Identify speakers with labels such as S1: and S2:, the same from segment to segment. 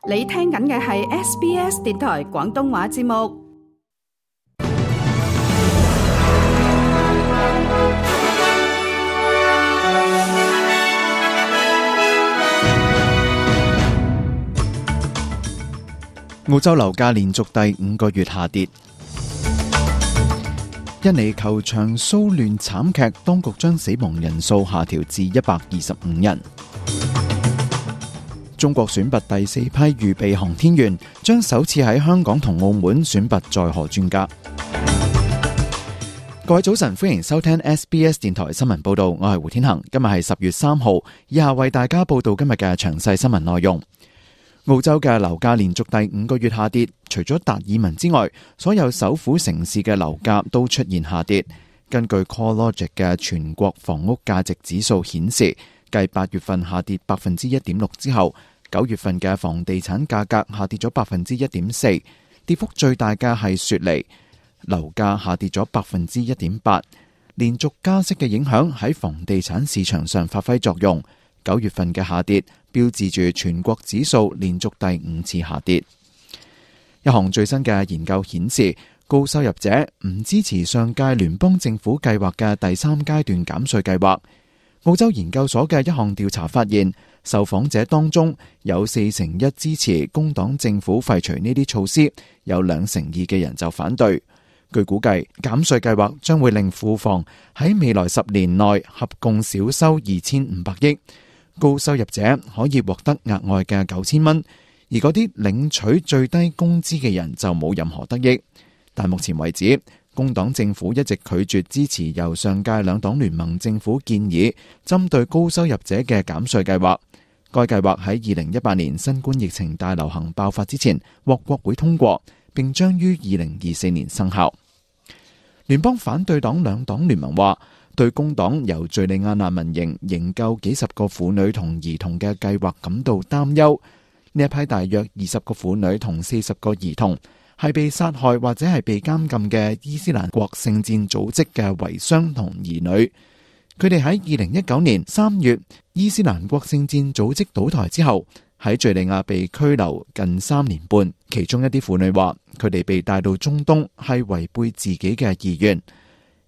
S1: 你聽緊嘅係 SBS 電台廣東話節目。
S2: 澳洲樓價連續第5個月下跌。印尼球場騷亂慘劇，當局將死亡人數下調至125人。中國選拔第4批預備航天員，將首次喺香港同澳門選拔載荷專家。各位早晨，歡迎收聽 SBS 電台新聞報道，我係胡天恒。今日係10月3號，以下為大家報道今日嘅詳細新聞內容。澳洲嘅樓價連續第5個月下跌，除咗達爾文之外，所有首府城市嘅樓價都出現下跌。根據 CoreLogic 嘅全國房屋價值指數顯示，繼8月份下跌 1.6% 之後，9月份嘅房地產價格下跌咗 1.4%， 跌幅最大嘅係雪梨，樓價下跌咗 1.8%。連續加息嘅影響喺房地產市場上發揮作用。9月份嘅下跌標誌住全國指數連續第5次下跌。一項最新嘅研究顯示，高收入者唔支持上屆聯邦政府計劃嘅第3階段減稅計劃。澳洲研究所嘅一項調查發現，受訪者當中有41%支持工黨政府廢除呢啲措施，有2%嘅人就反對。據估計，減稅計劃將會令庫房喺未來10年內合共少收2500億。高收入者可以獲得額外嘅9000蚊，而嗰啲領取最低工資嘅人就冇任何得益。但目前為止，工黨政府一直拒絕支持由上屆兩黨聯盟政府建議針對高收入者嘅減稅計劃。該計劃喺2018年新冠疫情大流行爆發之前獲國會通過，並將於2024年生效。聯邦反對黨兩黨聯盟話，對工黨由敘利亞難民營營救幾十個婦女同兒童嘅計劃感到擔憂。呢一批大約20個婦女同40個兒童係被殺害或者係被監禁嘅伊斯蘭國聖戰組織嘅遺孀同兒女。佢哋喺2019年3月伊斯蘭國聖戰組織倒台之後，喺敘利亞被拘留近3年半。其中一啲婦女話，佢哋被帶到中東係違背自己嘅意願。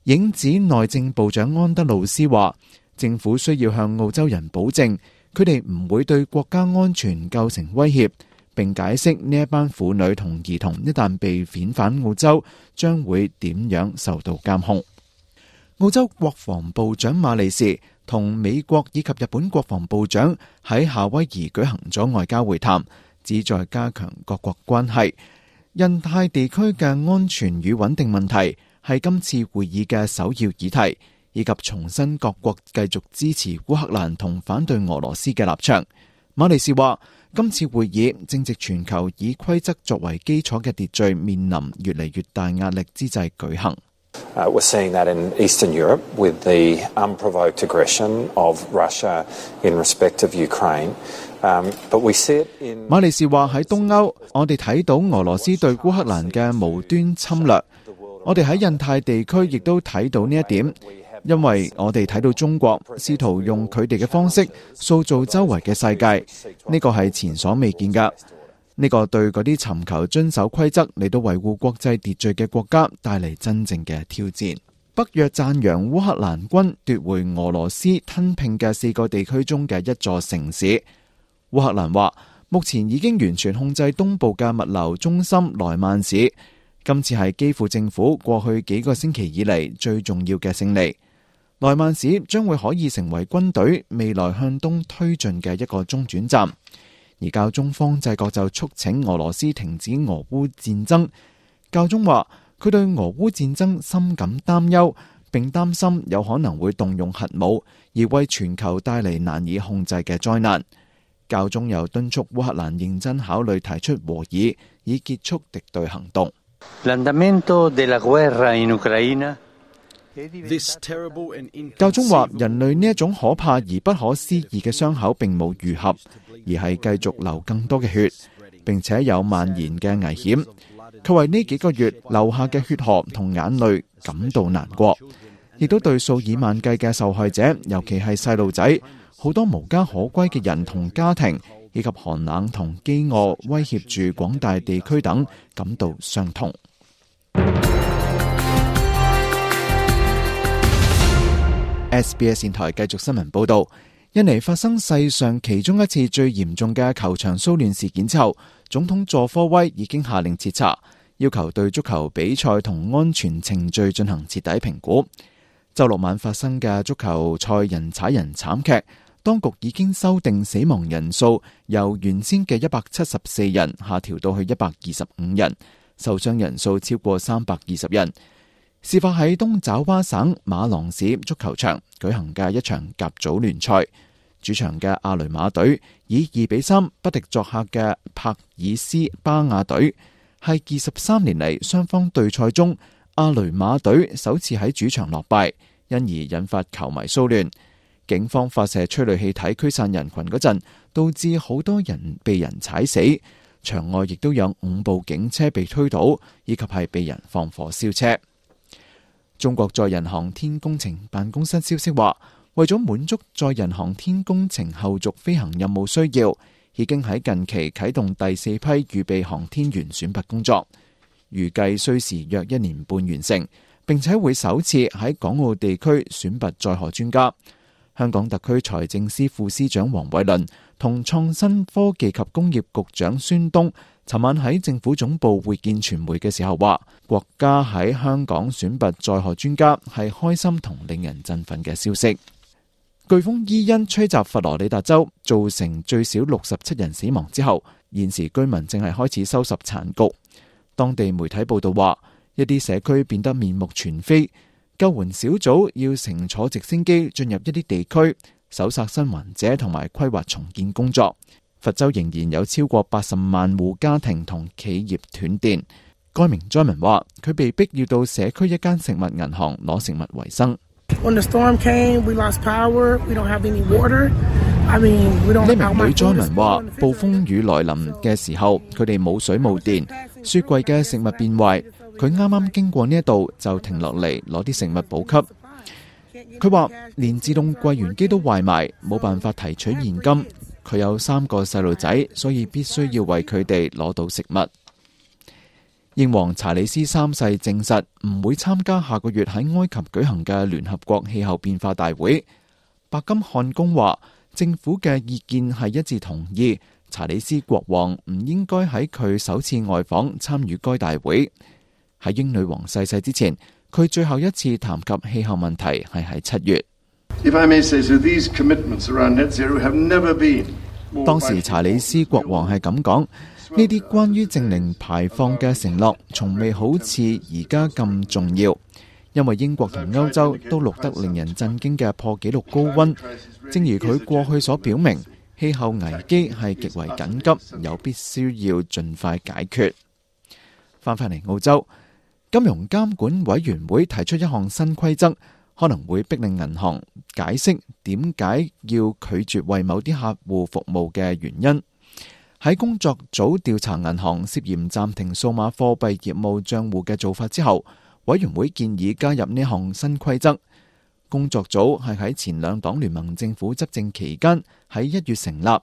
S2: 影子內政部長安德魯斯話，政府需要向澳洲人保證，佢哋唔會對國家安全構成威脅，並解釋呢一班婦女同兒童一旦被遣返澳洲，將會點樣受到監控。澳洲國防部長馬利士同美國以及日本國防部長喺夏威夷舉行咗外交會談，旨在加強各國關係。印太地區嘅安全與穩定問題係今次會議嘅首要議題，以及重申各國繼續支持烏克蘭同反對俄羅斯嘅立場。馬利士話，今次會議正值全球以規則作為基礎嘅秩序面臨越嚟越大壓力之際舉行。
S3: We're seeing that in Eastern Europe with the unprovoked aggression of Russia in respect of Ukraine. But we see it in
S2: 馬利士話，喺東歐，我哋睇到俄羅斯對烏克蘭嘅無端侵略。我哋喺印太地區亦都睇到呢一點，因為我哋睇到中國試圖用佢哋嘅方式塑造周圍嘅世界，呢個係前所未見㗎。呢個對嗰啲尋求遵守規則嚟到維護國際秩序嘅國家帶嚟真正嘅挑戰。北約讚揚烏克蘭軍奪回俄羅斯吞併嘅4個地區中嘅一座城市。烏克蘭話，目前已經完全控制東部嘅物流中心萊曼市。今次係基輔政府過去幾個星期以嚟最重要嘅勝利。萊曼市將會可以成為軍隊未來向東推進嘅一個中轉站。而教宗方濟各就促請俄羅斯停止俄烏戰爭。教宗話，佢對俄烏戰爭深感擔憂，並擔心有可能會動用核武，而為全球帶嚟難以控制嘅災難。教宗又敦促烏克蘭認真考慮提出和議，以結束敵對行動。教宗話，人類呢一種可怕而不可思議嘅傷口並冇愈合，而係繼續流更多嘅血，並且有蔓延嘅危險。佢為呢幾個月流下嘅血河同眼淚感到難過，亦都對數以萬計嘅受害者，尤其係細路仔，好多無家可歸嘅人同家庭，以及寒冷同飢餓威脅住廣大地區等感到傷痛。SBS 電台繼續新聞報道，印尼發生世上其中一次最嚴重嘅球場騷亂事件之後，總統佐科威已經下令徹查，要求對足球比賽同安全程序進行徹底評估。週六晚發生嘅足球賽人踩人慘劇，當局已經修訂死亡人數由原先嘅174人下調到去125人，受傷人數超過320人。事發喺東爪哇省馬郎市足球場舉行嘅一場甲組聯賽，主場嘅阿雷馬隊以2-3不敵作客嘅帕爾斯巴亞隊，係23年嚟雙方對賽中阿雷馬隊首次喺主場落敗，因而引發球迷騷亂。警方發射催淚氣體驅散人群嗰陣，導致好多人被人踩死，場外亦都有5部警車被推倒，以及係被人放火燒車。中國載人航天工程辦公室消息話，為咗滿足載人航天工程後續飛行任務需要，已經喺近期啟動第4批預備航天員選拔工作，預計需時約1年半完成，並且會首次喺港澳地區選拔載荷專家。香港特區財政司副司長黃偉綸同創新科技及工業局長孫東尋晚喺政府總部會見傳媒嘅時候話，國家喺香港選拔載荷專家係開心同令人振奮嘅消息。颶風伊恩吹襲佛羅里達州，造成最少67人死亡之後，現時居民正係開始收拾殘局。當地媒體報道話，一啲社區變得面目全非，救援小組要乘坐直升機進入一啲地區，搜索生還者同埋規劃重建工作。佛州仍然有超過80萬戶家庭同企業斷電。該名災民話，佢被逼要到社區一間食物銀行攞食物為生。呢名女災民話，暴風雨來臨嘅時候，佢哋冇水冇電，雪櫃嘅食物變壞，佢啱啱經過呢一度就停落嚟攞啲食物補給。佢話連自動櫃員機都壞埋，冇辦法提取現金。佢有3個細路仔，所以必須要為佢哋攞到食物。英皇查理斯3世證實唔會參加下個月喺埃及舉行嘅聯合國氣候變化大會。白金漢宮話，政府嘅意見係一致同意，查理斯國王唔應該喺佢首次外訪參與該大會。喺英女王逝世之前，佢最後一次談及氣候問題係喺7月。當時查理斯國王係咁講，呢啲關於淨零排放嘅承諾從未好似而家咁重要，因為英國同歐洲都錄得令人震驚嘅破紀錄高溫。正如佢過去所表明，氣候危機係極為緊急，有必須要盡快解決。翻返嚟澳洲，金融監管委員會提出一項新規則，可能會逼令銀行解釋點解要拒絕為某啲客戶服務嘅原因。喺工作組調查銀行涉嫌暫停數碼貨幣業務賬戶嘅做法之後，委員會建議加入呢項新規則。工作組係喺前兩黨聯盟政府執政期間喺1月成立，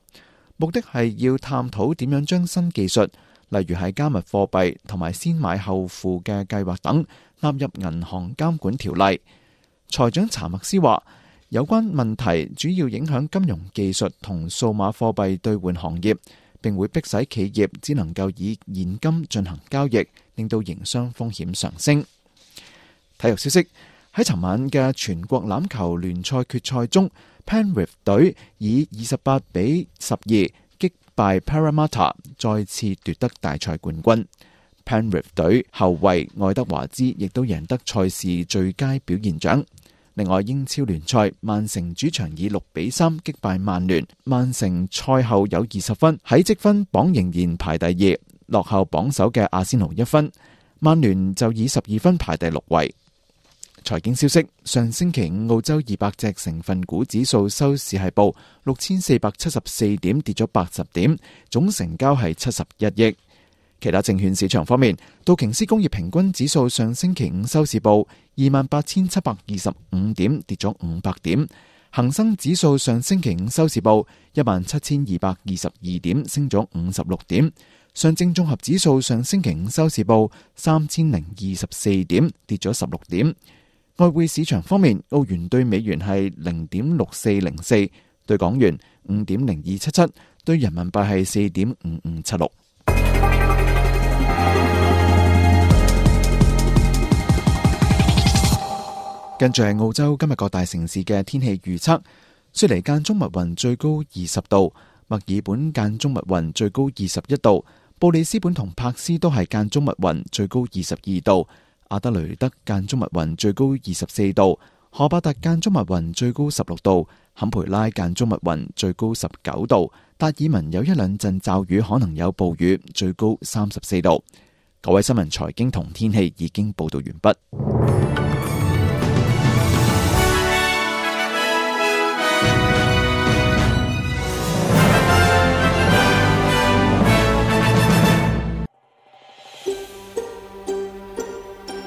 S2: 目的係要探討點樣將新技術，例如係加密貨幣同埋先買後付嘅計劃等納入銀行監管條例。財長查默斯話，有關問題主要影響金融技術同數碼貨幣兌換行業，並會迫使企業只能夠以現金進行交易，令到營商風險上升。體育消息，喺尋晚嘅全國欖球聯賽決賽中， Penrith 隊以28-12擊敗 Parramatta， 再次奪得大賽冠軍。Penrith 隊後衛愛德華茲亦都贏得賽事最佳表現獎。另外，英超聯賽，曼城主場以6-3擊敗曼聯。曼城賽後有20分，喺積分榜仍然排第2，落後榜首嘅阿仙奴1分。曼聯就以12分排第6位。財經消息，上星期五澳洲200隻成分股指數收市係報6474點，跌咗80點，總成交係71億。其他證券市場方面，道瓊斯工業平均指數上星期五收市報28,725點，跌咗500點；恒生指數上星期五收市報17,222點，升咗56點。上證綜合指數上星期五收市報3,024點，跌咗16點。外匯市場方面，澳元對美元係0.6404，對港元5.0277，對人民幣係4.5576。跟住係澳洲今日各大城市嘅天氣預測：雪梨間中密雲，最高20度；墨爾本間中密雲，最高21度；布里斯本同柏斯都係間中密雲，最高22度；阿德雷德間中密雲，最高24度；荷伯特間中密雲，最高16度；坎培拉間中密雲，最高19度；達爾文有一兩陣驟雨，可能有暴雨，最高34度。各位新聞、財經同天氣已經報道完畢。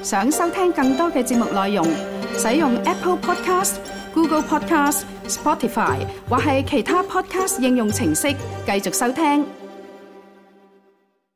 S1: 想收聽更多嘅節目內容，使用 Apple Podcast、Google Podcast、Spotify 或係其他 Podcast 應用程式繼續收聽。